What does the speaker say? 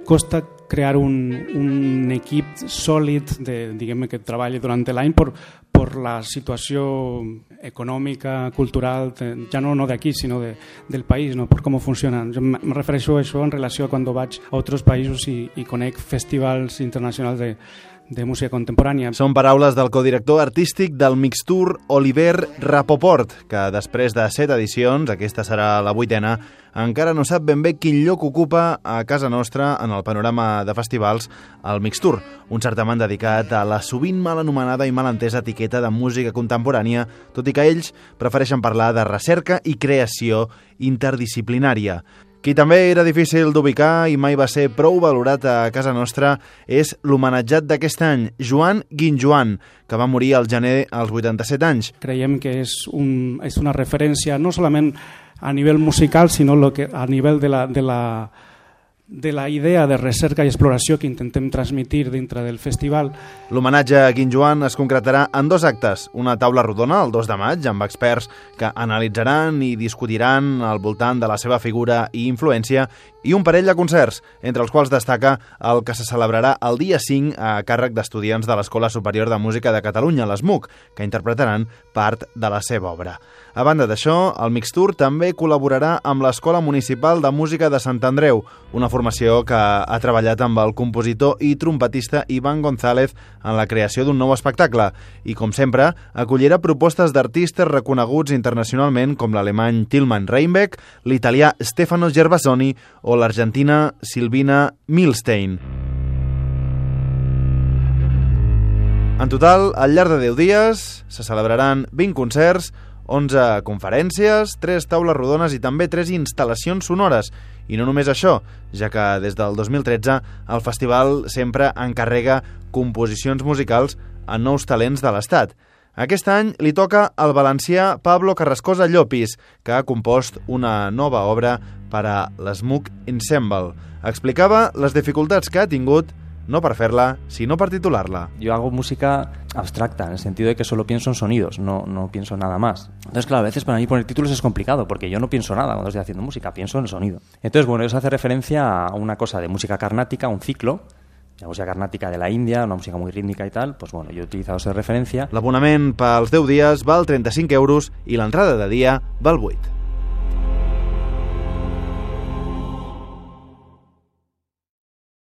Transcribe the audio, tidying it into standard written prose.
Costa crear un equip sòlid diguem que treballi durant l'any per la situació econòmica, cultural, ja no d'aquí, sinó del país, no? Per com funciona. Jo em refereixo a això en relació a quan vaig a altres països i conec festivals internacionals de música contemporània. Són paraules del codirector artístic del Mixtour, Oliver Rapoport, que després de 7 edicions, aquesta serà la 8ª, encara no sap ben bé quin lloc ocupa a casa nostra en el panorama de festivals el Mixtour, un certamen dedicat a la sovint mal anomenada i mal entesa etiqueta de música contemporània, tot i que ells prefereixen parlar de recerca i creació interdisciplinària. Qui també era difícil d'ubicar i mai va ser prou valorat a casa nostra és l'homenatjat d'aquest any, Joan Guinjoan, que va morir al gener als 87 anys. Creiem que és una referència no solament a nivell musical, sinó a nivell de la idea de recerca i exploració que intentem transmetre dintre del festival. L'homenatge a Guinjoan es concretarà en 2 actes, una taula rodona el 2 de maig amb experts que analitzaran i discutiran al voltant de la seva figura i influència, i un parell de concerts, entre els quals destaca el que se celebrarà el dia 5 a càrrec d'estudiants de l'Escola Superior de Música de Catalunya, l'ESMUC, que interpretaran part de la seva obra. A banda d'això, el Mixtour també col·laborarà amb l'Escola Municipal de Música de Sant Andreu, una formació que ha treballat amb el compositor i trompetista Ivan González en la creació d'un nou espectacle i, com sempre, acollirà propostes d'artistes reconeguts internacionalment com l'alemany Tilman Reinbeck, l'italià Stefano Gervasoni o l'argentina Silvina Milstein. En total, al llarg de 10 dies, se celebraran 20 concerts, 11 conferències, 3 taules rodones i també 3 instal·lacions sonores. I no només això, ja que des del 2013 el festival sempre encarrega composicions musicals a nous talents de l'Estat. Aquest any li toca al valencià Pablo Carrascosa Llopis, que ha compost una nova obra per a l'Smook Ensemble. Explicava les dificultats que ha tingut no per fer-la, sino per titular-la. Yo hago música abstracta, en el sentido de que solo pienso en sonidos, no pienso nada más. Entonces, claro, a veces para mí poner títulos es complicado, porque yo no pienso nada cuando estoy haciendo música, pienso en el sonido. Entonces, bueno, eso hace referencia a una cosa de música carnática, un ciclo, la música carnática de la Índia, una música muy rítmica y tal, pues bueno, yo he utilizado esa referencia. L'abonament pels 10 dies val 35 € i l'entrada de dia val 8.